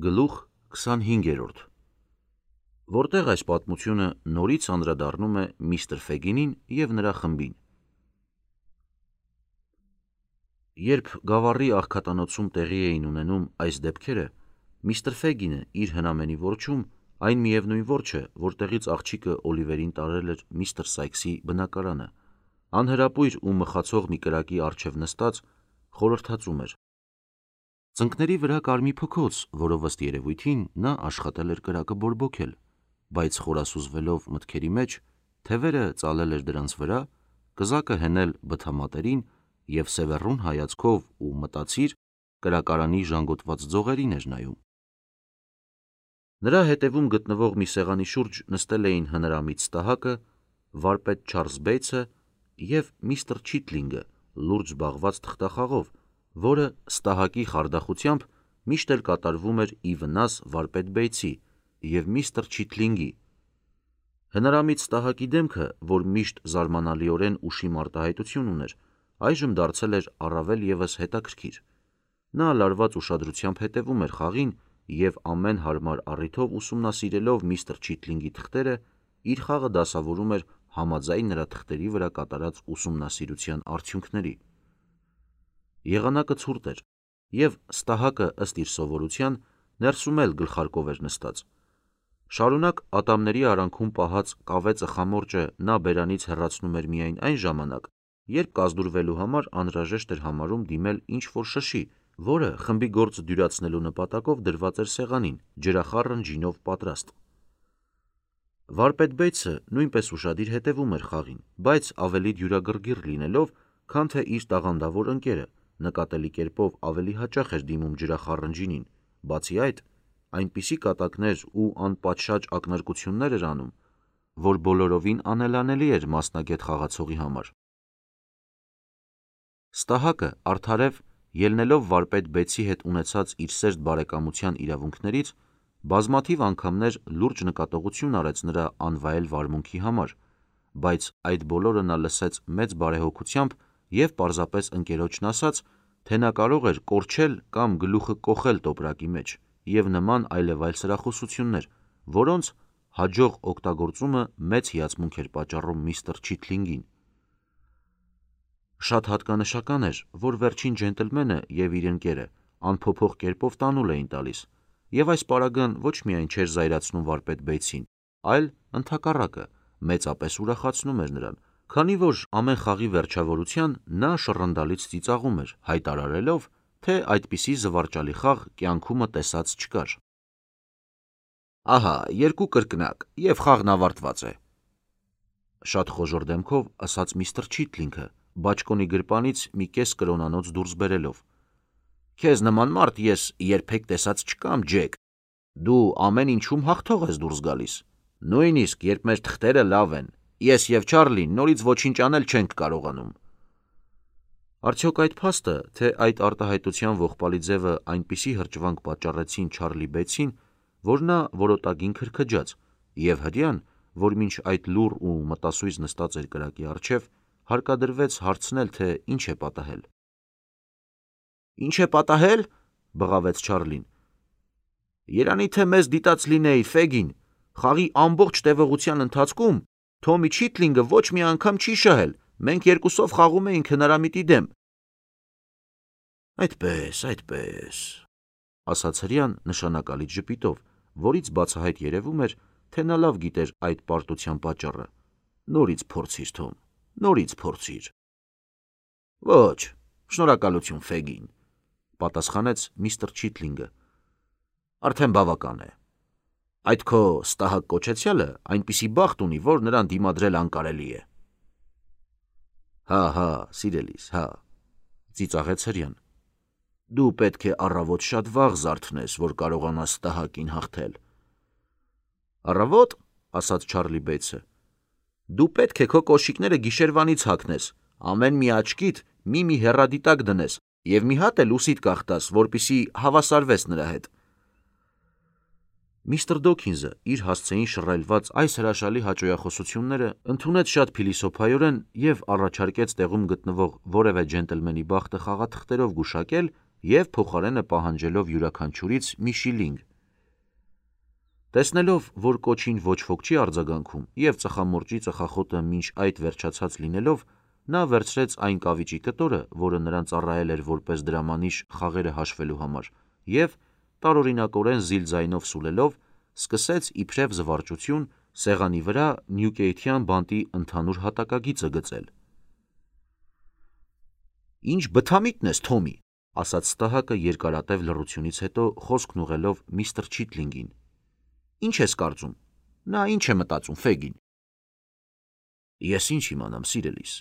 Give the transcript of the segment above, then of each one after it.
Գլուխ 25-րդ Որտեղ այս պատմությունը նորից անդրադառնում է միստր Ֆեգինին և նրա խմբին։ Երբ գավառի աղքատանոցում տեղի էին ունենում այս դեպքերը, միստր Ֆեգինը իր հնամենի որջում, այն միևնույն որջը, որտեղից աղջիկը Օլիվերին տարել էր միստր Սայքսի բնակարանը, անհրապույր ու մխացող մի կրակի առջև նստած, խորհրդածում էր։ Ծնկների վրա կար մի փքոց, որով ըստ երևույթին նա աշխատել էր կրակը բորբոքել, բայց խորասուզվելով մտքերի մեջ, թևերը ծալել էր դրանց վրա, կզակը հենել բթամատերին և սևեռուն հայացքով ու մտածիր կրակարանի ժանգոտված ձողերին էր նայում։ Նրա հետևում գտնվող մի սեղանի շուրջ նստել էին հնարամիտ Ստահակը, վարպետ Չարլզ Բեյցը և միստր Չիթլինգը լուրջ զբաղված թղթախաղով, որը Ստահակի խարդախությամբ միշտ էլ կատարվում էր ի վնաս վարպետ Բեյցի և միստր Չիթլինգի։ Հնարամիտ Ստահակի դեմքը, որ միշտ զարմանալիորեն ուշիմ արտահայտություն ուներ, այժմ դարձել էր առավել ևս հետաքրքիր։ Նա լարված ուշադրությամբ հետևում էր խաղին և ամեն հարմար առիթով ուսումնասիրելով միստր Չիթլինգի թղթերը, իր խաղը դասավորում էր համաձայն նրա թղթերի վրա կատարած ուսումնասիրության արդյունքների։ Եղանակը ցուրտ էր, և Ստահակը, ըստ իր սովորության, ներսում էլ գլխարկով էր նստած։ Շարունակ ատամների արանքում պահած կավե ծխամորճը նա բերանից հեռացնում էր միայն այն ժամանակ, երբ կազդուրվելու համար անհրաժեշտ էր համարում դիմել ինչ-որ շշի, որը խմբի գործը դյուրացնելու նպատակով դրված էր սեղանին, ջրախառն ջինով պատրաստ։ Վարպետ Բեյցը նույնպես ուշադիր հետևում էր խաղին, բայց ավելի դյուրագրգիռ լինելով, քան թե իր տաղանդավոր ընկերը, նկատելի կերպով ավելի հաճախ էր դիմում ջրախառն ջինին, բացի այդ, այնպիսի կատակներ ու անպատշաճ ակնարկություններ էր անում, որ բոլորովին անելանելի էր մասնագետ խաղացողի համար։ Ստահակը արդարև, ելնելով վարպետ Բեյցի հետ ունեցած իր սերտ բարեկամության իրավունքներից, բազմաթիվ անգամներ լուրջ նկատողություն արեց նրա անվայել վարմունքի համար, բայց այդ բոլորը նա լսեց մեծ բարեհոգությամբ և պարզապես ընկերոջն ասաց, թե նա կարող էր կորչել կամ գլուխը կոխել տոպրակի մեջ և նման այլևայլ սրախոսություններ, որոնց հաջող օգտագործումը մեծ հիացմունք էր պատճառում միստր Չիթլինգին։ Շատ հատկանշական էր, որ վերջին ջենտլմենը և իր ընկերը անփոփոխ կերպով տանուլ էին տալիս, և այս պարագան ոչ միայն չէր զայրացնում վարպետ Բեյցին, այլ, ընդհակառակը, մեծապես ուրախացնում էր նրան, քանի որ ամեն խաղի վերջավորության նա շռնդալից ծիծաղում էր, հայտարարելով, թե այդպիսի զվարճալի խաղ կյանքումը տեսած չկար։ «Ահա, երկու կրկնակ, և խաղն ավարտված է», – շատ խոժոռ դեմքով ասաց միստր Չիթլինգը, բաճկոնի գրպանից մի կես կրոնանոց դուրս բերելով։ «Քեզ նման մարդ ես երբեք տեսած չկամ, Ջեք, դու ամեն ինչում հաղթող ես դուրս գալիս, նույնիսկ երբ մեր թղթերը լավ են, ես և Չարլին նորից ոչինչ անել չենք կարողանում»։ Արդյոք այդ փաստը, թե այդ արտահայտության ողբալի ձևը այնպիսի հրճվանք պատճառեցին Չարլի Բեյցին, որ նա որոտագին քրքջաց, և հրեան, որ մինչ այդ լուռ ու մտասույզ նստած էր կրակի առջև, հարկադրվեց հարցնել, թե ինչ է պատահել։ «Ինչ է պատահել», – բղավեց Չարլին, – «երանի թե մեզ դիտած լինեիր, Ֆեգին, խաղի ամբողջ տևողության ընթացքում Թոմի Չիթլինգը ոչ մի անգամ չի շահել, մենք երկուսով խաղում էինք հնարամիտի դեմ»։ Այդպես, – ասաց հրեան նշանակալից ժպիտով, որից բացահայտ երևում էր, թե նա լավ գիտեր այդ պարտության պատճառը։ Նորից փորձիր, Թոմ, նորից փորձիր։ Ոչ, շնորհակալություն, Ֆեգին, – պատասխանեց միստր Չիթլինգը։ Արդեն բավական է։ Այդ քո Ստահակ կոչեցյալը այնպիսի բախտ ունի, որ նրան դիմադրել անկարելի է։ Հա, սիրելիս, հա, – ծիծաղեց հրեան։ Դու պետք է առավոտ շատ վաղ զարթնես, որ կարողանաս Ստահակին հաղթել։ Առավոտ, – ասաց Չարլի Բեյցը, – դու պետք է քո կոշիկները գիշերվանից հագնես, ամեն մի աչքիդ մի հեռադիտակ դնես և մի հատ էլ ուսիդ կախտաս, որպեսզի հավասարվես նրա հետ։ Միստր Դոքինզը իր հասցեին շռայլված այս հրաշալի հաճոյախոսությունները ընդունեց շատ փիլիսոփայորեն և առաջարկեց տեղում գտնվող որևէ ջենտլմենի բախտը խաղաթղթերով գուշակել և փոխարենը պահանջելով յուրաքանչյուրից մի շիլինգ, Տեսնելով, որ կոչին ոչ ոք չի արձագանքում և ծխամորճի ծխախոտը մինչ այդ վերջացած լինելով, նա վերցրեց այն կավիճի կտորը, որը նրան ծառայել էր որպես դրամանիշ խաղերը հաշվելու համար, և տարօրինակորեն զիլ ձայնով սուլելով, սկսեց իբրև զվարճություն սեղանի վրա նյուկեյթյան բանտի ընդհանուր հատակագիծը գծել։ «Ինչ բթամիտն ես, Թոմի», ասաց Ստահակը երկարատև լռությունից հետո խոսքն ուղղելով միստր Չիթլինգին։ «Ինչ ես կարծում, նա ինչ է մտածում, Ֆեգին»։ «Ես ինչ իմանամ, սիրելիս»,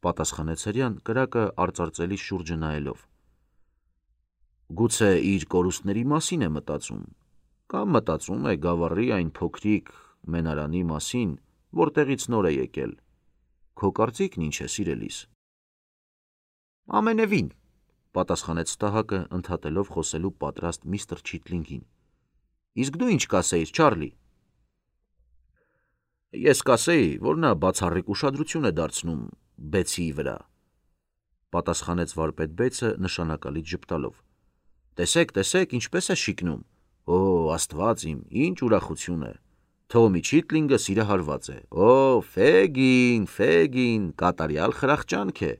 պատասխանեց հրեան կրակը արծարծելի շուրջը նայելով։ «Գուցե իր կորուստների մասին է մտածում, կամ մտածում է գավառի այն փոքրիկ մենարանի մասին, որտեղից նոր է եկել։ Քո կարծիքն ինչ է, սիրելիս»։ «Ամենևին», պատասխանեց Ստահակը ընդհատելով խոսելու պատրաստ միստր Չիթլինգին։ «Իսկ դու ինչ կասեիր, Չարլի»։ «Ես կասեի, որ նա բացառիկ ուշադրություն է դարձնում Բեցիի վրա», պատասխանեց վարպետ Բեյցը նշանակալից ժպտալով։ «Տեսեք, ինչպես է շիկնում։ Օ, Աստված իմ, ինչ ուրախություն է։ Թոմի Չիթլինգը սիրահարված է։ Օ, Ֆեգին, կատարյալ խրախճանք է»։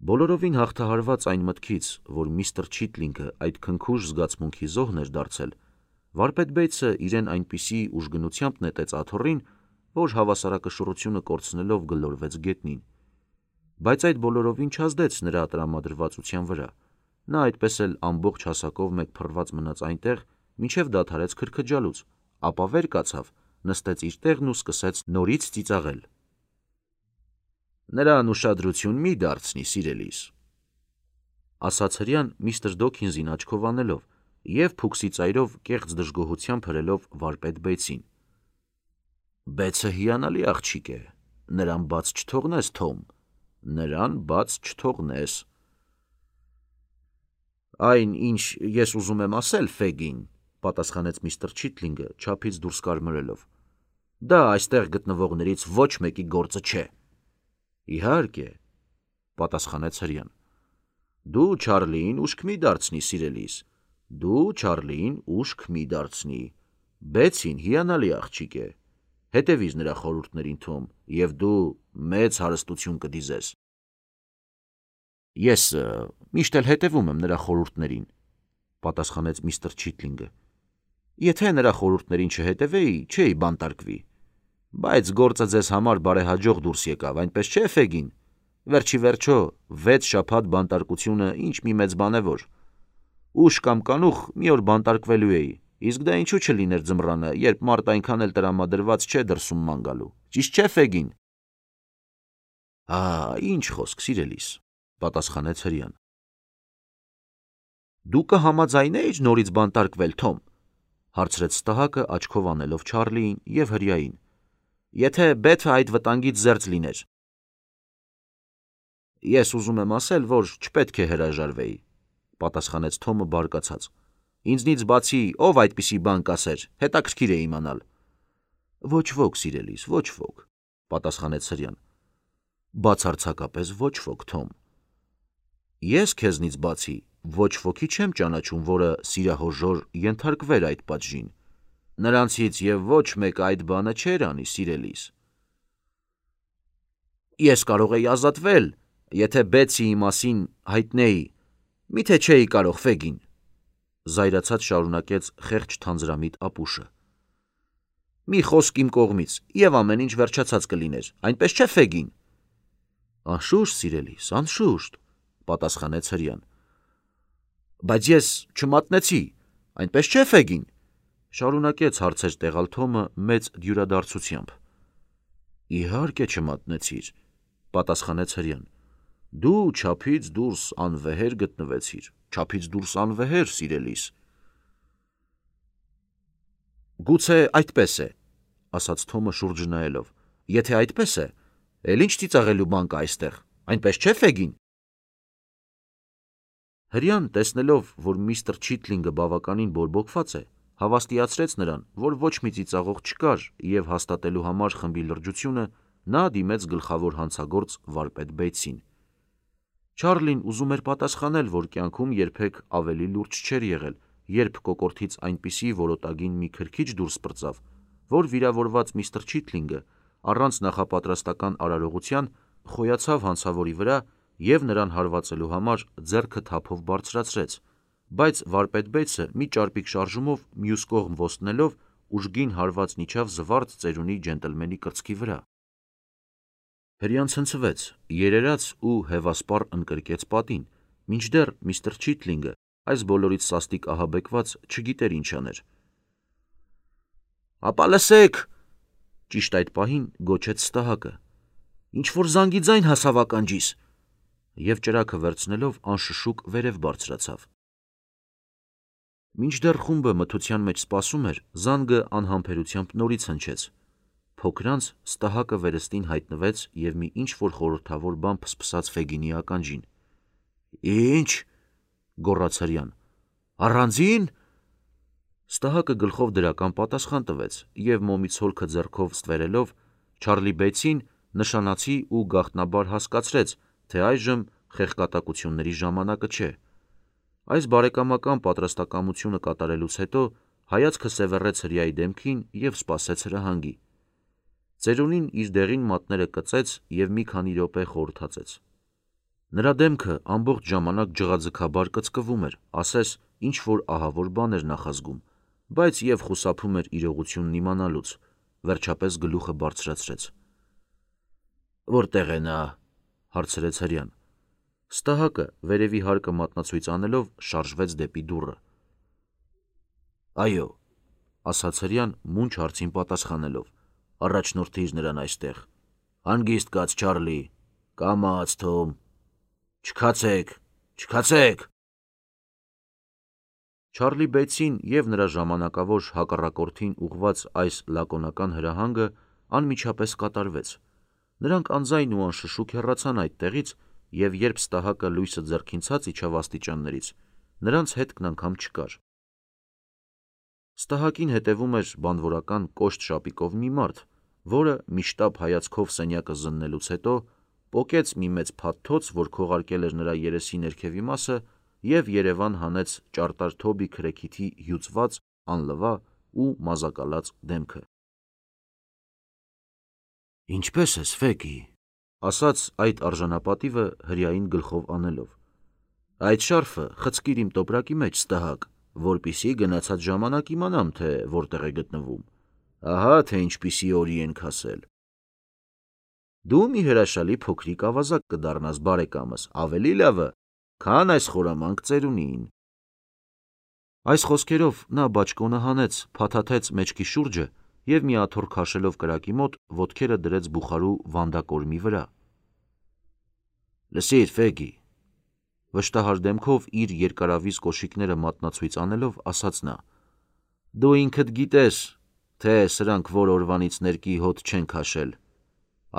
Բոլորովին հաղթահարված այն մտքից, որ միստր Չիթլինգը այդ քնքուշ զգացմունքի զոհն էր դարձել, վարպետ Բեյցը իրեն այնպիսի ուժգնությամբ նետեց աթոռին, որ հավասարակշռությունը կորցնելով գլորվեց գետնին։ Բայց այդ բոլորովին չազդեց նրա տրամադրվածության վրա։ Նա այդպես էլ ամբողջ հասակով մեկ փռված մնաց այնտեղ, մինչև դադարեց քրքջալուց, ապա վեր կացավ, նստեց իր տեղն ու սկսեց նորից ծիծաղել։ «Նրան ուշադրություն մի դարձնի, սիրելիս», ասաց հրեան միստր Դոքինզին աչքով անելով և փուքսի ծայրով կեղծ դժգոհությամբ հրելով վարպետ Բեյցին։ «Բեցը հիանալի աղջիկ է, նրան բաց չթողնես, Թոմ, նրան բաց չթողնես»։ «Այն, ինչ ես ուզում եմ ասել, Ֆեգին», պատասխանեց միստր Չիթլինգը չափից դուրս կարմրելով, «դա այստեղ գտնվողներից ոչ մեկի գործը չէ»։ «Իհարկե», պատասխանեց հրեան։ «Դու Չարլիին ուշք մի դարձնի, սիրելիս, դու Չարլիին ուշք մի դարձնի։ Բեցին հիանալի աղջիկ է։ Հետևիր նրա խորհուրդներին, Թոմ, և դու մեծ հարստություն կդիզես»։ «Ես միշտ էլ հետևում եմ նրա խորհուրդներին», պատասխանեց միստր Չիթլինգը։ «Եթե նրա խորհուրդներին չհետևեի, չէի բանտարկվի։ Բայց գործը ձեզ համար բարեհաջող դուրս եկավ, այնպես չէ, Ֆեգին։ Վերջի վերջո 6 շաբաթ բանտարկությունը ինչ մի մեծ բան է որ։ Ուշ կամ կանուխ մի օր բանտարկվելու էի, իսկ դա ինչու չլիներ ձմռանը, երբ մարդ այնքան էլ տրամադրված չէ դրսում ման գալու։ Ճիշտ չէ, Ֆեգին։ Ինչ խոսք, սիրելիս, պատասխանեց հրեան։ Դու կհամաձայնեիր նորից բանտարկվել, Թոմ, հարցրեց Ստահակը աչքով անելով Չարլիին և հրեային, եթե Բեթը այդ վտանգից զերծ լիներ։ Ես ուզում եմ ասել, որ չպետք է հրաժարվեի, պատասխանեց Թոմը բարկացած։ Ինձնից բացի ով այդպիսի բան կասեր, հետաքրքիր է իմանալ։ Ոչ ոք, սիրելիս, ոչ ոք, պատասխանեց հրեան։ Բացարձակապես ոչ ոք, Թոմ։ Ես քեզնից բացի ոչ ոքի չեմ ճանաչում, որը սիրահորժոր ենթարկվեր այդ պատժին։ Նրանցից և ոչ մեկը այդ բանը չէր անի, սիրելիս։ Ես կարող էի ազատվել, եթե Բեցիի մասին հայտնեի, միթե չէի կարող, Ֆեգին, զայրացած շարունակեց խեղճ թանձրամիտ ապուշը։ Մի խոսք իմ կողմից, և ամեն ինչ վերջացած կլիներ, այնպես չէ, Ֆեգին։ Անշուշտ, սիրելիս, անշուշտ, պատասխանեց հրեան։ Բայց ես չմատնեցի, այնպես չէ, Ֆեգին, շարունակեց հարցեր տեղալ Թոմը մեծ դյուրադարձությամբ։ Իհարկե չմատնեցիր, պատասխանեց հրեան։ Դու չափից դուրս անվեհեր գտնվեցիր, չափից դուրս անվեհեր, սիրելիս։ Գուցե այդպես է, ասաց Թոմը շուրջը նայելով։ Եթե այդպես է, էլ ինչ ծիծաղելու բան կա այստեղ, այնպես չէ, Ֆեգին։ Հրեան, տեսնելով, որ միստր Չիթլինգը բավականին բորբոքված է, հավաստիացրեց նրան, որ ոչ մի ծիծաղող չկար, և հաստատելու համար խմբի լրջությունը նա դիմեց գլխավոր հանցագործ վարպետ Բեյցին։ Չարլին ուզում էր պատասխանել, որ կյանքում երբեք ավելի լուրջ չէր եղել, երբ կոկորդից այնպիսի որոտագին մի քրքիջ դուրս պրծավ, որ վիրավորված միստր Չիթլինգը առանց նախապատրաստական արարողության խոյացավ հանցավորի վրա և նրան հարվածելու համար ձեռքը թափով բարձրացրեց, բայց վարպետ Բեյթսը մի ճարպիկ շարժումով մյուս կողմ ոստնելով ուժգին հարվածն իջավ զվարթ ծերունի ջենտլմենի կրծքի վրա։ Հրեան ցնցվեց, երերաց ու հևասպառ ընկրկեց պատին, մինչդեռ միստր Չիթլինգը այս բոլորից սաստիկ ահաբեկված չգիտեր ինչ աներ։ «Ապա լսեք», ճիշտ այդ պահին գոչեց Ստահակը, «ինչ-որ զանգի ձայն հասավ ականջիս», և ճրագը վերցնելով անշշուկ վերև բարձրացավ։ Մինչդեռ խումբը մթության մեջ սպասում էր, զանգը անհամբերությամբ նորից հնչեց։ Փոքրանց Ստահակը վերստին հայտնվեց և մի ինչ-որ խորհրդավոր բան փսփսաց Ֆեգինի ականջին։ «Ի՞նչ», գոռաց հրեան, «առանձի՞ն»։ Ստահակը գլխով դրական պատասխան տվեց և մոմից հոլքը ձեռքով ստվերելով Չարլի Բեյթսին նշանացի ու գաղտնաբար հասկացրեց, թե այժմ խեղկատակությունների ժամանակը չէ։ Այս բարեկամական պատրաստակամությունը կատարելուց հետո հայացքը սևեռեց հրեայի դեմքին և սպասեց հրահանգի։ Ծերունին իր դեղին մատները կծեց և մի քանի րոպե խորհրդածեց։ Նրա դեմքը ամբողջ ժամանակ ջղաձգաբար կծկվում էր, ասես ինչ-որ ահավոր բան էր նախազգում, բայց և խուսափում էր իրողությունն իմանալուց, վերջապես գլուխը բարձրացրեց։ «Որտե՞ղ է նա», հարցրեց հրեան։ Ստահակը վերևի հարկը մատնացույց անելով շարժվեց դեպի դուռը։ «Այո», ասաց հրեան մունջ հարցին պատասխանելով, «առաջնորդիր նրան այստեղ։ Հանգիստ կաց, Չարլի, կամաց, Թոմ, չքացեք, չքացեք»։ Չարլի Բեյթսին և նրա ժամանակավոր հակառակորդին ուղղված այս լակոնական հրահանգը անմիջապես կատարվեց։ Նրանք անձայն ու անշշուկ հեռացան այդտեղից, և երբ Ստահակը լույսը ձեռքին ցած իջավ աստիճաններից, նրանց հետքն անգամ չկար։ Ստահակին հետևում էր բանվորական կոշտ շապիկով մի մարդ, որը մի շտապ հայացքով սենյակը զննելուց հետո պոկեց մի մեծ փաթթոց, որ քողարկել էր նրա երեսի ներքևի մասը, և երևան հանեց ճարտար Թոբի քրեքիթի հյուծված, անլվա ու մազակալած դեմքը։ «Ինչպե՞ս ես, Ֆեգի», ասաց այդ արժանապատիվը հրեային գլխով անելով։ «Այդ շարֆը խցկիր իմ տոպրակի մեջ, Ստահակ, որպեսզի գնացած ժամանակ իմանամ, թե որտեղ է գտնվում։ Ահա թե ինչպիսի օրի ենք հասել։ Դու մի հրաշալի փոքրիկ ավազակ կդառնաս, բարեկամս, ավելի լավը, քան այս խորամանկ ծերունին»։ Այս խոսքերով նա բաճկոնը հանեց, փաթաթեց մեջքի շուրջը և մի աթոռ քաշելով կրակի մոտ, ոտքերը դրեց բուխարու վանդակորմի վրա։ «Լսիր, Ֆեգի», վշտահար դեմքով իր երկարավիզ կոշիկները մատնացույց անելով ասաց նա, «դու ինքդ գիտես, թե սրանք որ օրվանից ներկի հոտ չեն քաշել։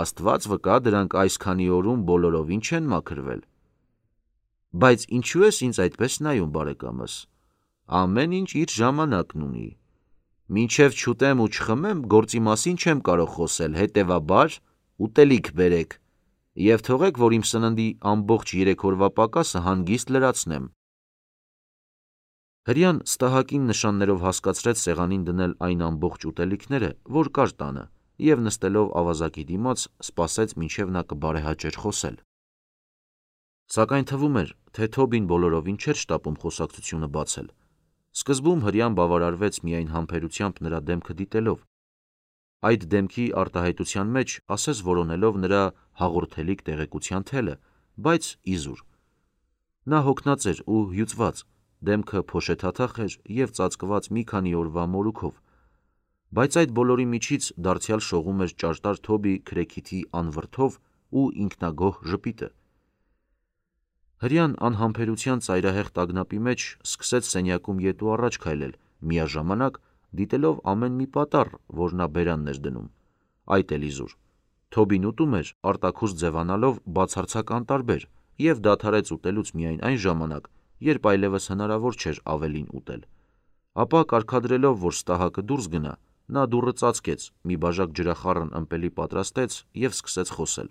Աստված վկա, դրանք այս քանի օրում բոլորովին չեն մաքրվել։ Բայց ինչու ես ինձ այդպես նայում, բարեկամս։ Ամեն ինչ իր ժամանակն ունի։ Մինչև չուտեմ ու չխմեմ, գործի մասին չեմ կարող խոսել, հետևաբար ուտելիք բերեք և թողեք, որ իմ սննդի ամբողջ 3 օրվա պակասը հանգիստ լրացնեմ»։ Հրեան Ստահակին նշաններով հասկացրեց սեղանին դնել այն ամբողջ ուտելիքները, որ կար տանը, և նստելով ավազակի դիմաց, սպասեց, մինչև նա կբարեհաճեր խոսել։ Սակայն թվում էր, թե Թոբին բոլորովին չէր շտապում խոսակցությունը բացել։ Սկզբում հրեան բավարարվեց միայն համբերությամբ նրա դեմքը դիտելով, այդ դեմքի արտահայտության մեջ ասես որոնելով նրա հաղորդելիք տեղեկության թելը, բայց իզուր։ Նա հոգնած էր ու հյուծված, դեմքը փոշեթաթախ էր և ծածկված մի քանի օրվա մորուքով, բայց այդ բոլորի միջից դարձյալ շողում էր ճարտար Թոբի քրեքիթի անվրդով ու ինքնագոհ ժպիտը։ Հրեան անհամբերության ծայրահեղ տագնապի մեջ սկսեց սենյակում ետ ու առաջ քայլել, միաժամանակ դիտելով ամեն մի պատառ, որ նա բերանն էր դնում։ Այդ էլ իզուր։ Թոբին ուտում էր, արտաքուստ ձևանալով բացարձակ անտարբեր և դադարեց ուտելուց միայն այն ժամանակ, երբ այլևս հնարավոր չէր ավելին ուտել։ Ապա կարգադրելով, որ Ստահակը դուրս գնա, նա դուռը ծածկեց, մի բաժակ ջրախառն ըմպելի պատրաստեց և սկսեց խոսել։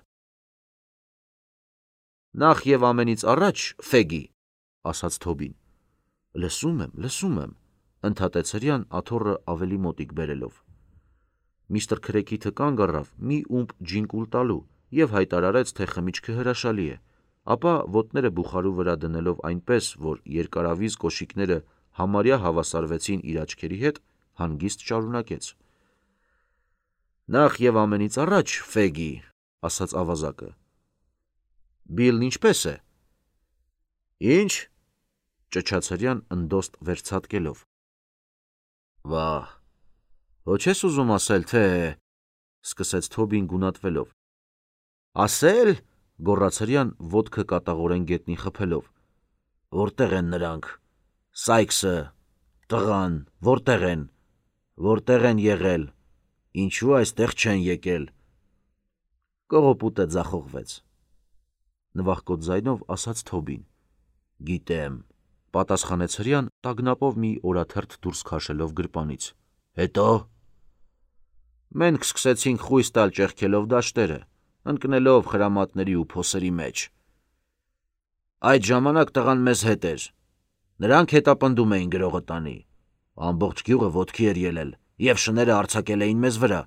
«Նախ և ամենից առաջ, Ֆեգի», ասաց Թոբին, Լսում եմ, ընդհատեց հրեան աթոռը ավելի մոտիկ բերելով։ Միստր Քրեքիթը կանգ առավ մի ումպ ջին կուլ տալու և հայտարարեց, թե խմիչքը հրաշալի է, ապա ոտները բուխարու վրա դնելով այնպես, որ երկարավիզ կոշիկները համարյա հավասարվեցին իր աչքերի հետ, հանգիստ շարունակեց. «Նախ և ամենից առաջ, Ֆեգի, ասաց ավազակը, Բիլն ինչպե՞ս է»։ «Ինչ»։ ճչաց հրեան ընդոստ վերցատկելով։ «Վա՜, ոչ ես ուզում ասել, թե…» սկսեց Թոբին գունատվելով։ «Ասել», գոռաց հրեան ոտքը կատաղորեն գետնին խփելով, «որտե՞ղ են նրանք, Սայքսը, տղան, որտե՞ղ են եղել, ինչու այստեղ չեն եկել»։ Կողոպուտը ձախողվեց, նվախկոտ ձայնով ասաց Թոբին։ «Գիտեմ», պատասխանեց հրեան տագնապով մի օրաթերթ դուրս քաշելով գրպանից։ «Հետո»։ «Մենք սկսեցինք խույս տալ ճեղքելով դաշտերը, ընկնելով խրամատների ու փոսերի մեջ։ Այդ ժամանակ տղան մեզ հետ էր, նրանք հետապնդում էին գրողը տանի, ամբողջ գյուղը ոտքի էր ելել և շները արձակել էին մեզ վրա»։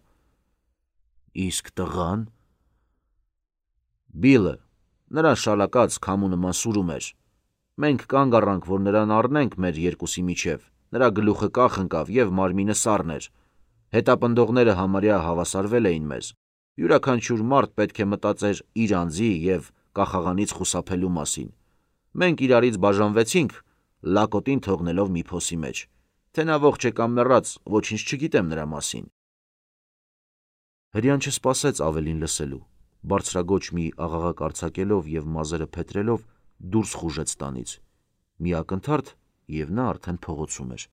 «Իսկ տղան»։ «Բիլը, նրան շալակած քամու նման սուրում էր, մենք կանգ առանք, որ նրան առնենք մեր երկուսի միջև, նրա գլուխը կախ ընկավ և մարմինը սառն էր, հետապնդողները համարյա հավասարվել էին մեզ, յուրաքանչյուր մարդ պետք է մտածեր իր անձի և կախաղանից խուսափելու մասին, մենք իրարից բաժանվեցինք, լակոտին թողնելով մի փոսի մեջ, թե նա ողջ է կամ մեռած, ոչինչ չգիտեմ նրա մասին»։ Հրեան չսպասեց ավելին լսելու, բարձրաձոչ մի աղաղակ արձակելով և մազերը փետրելով դուրս խուժեց տանից, մի ակնթարթ, և նա արդեն փողոցում էր։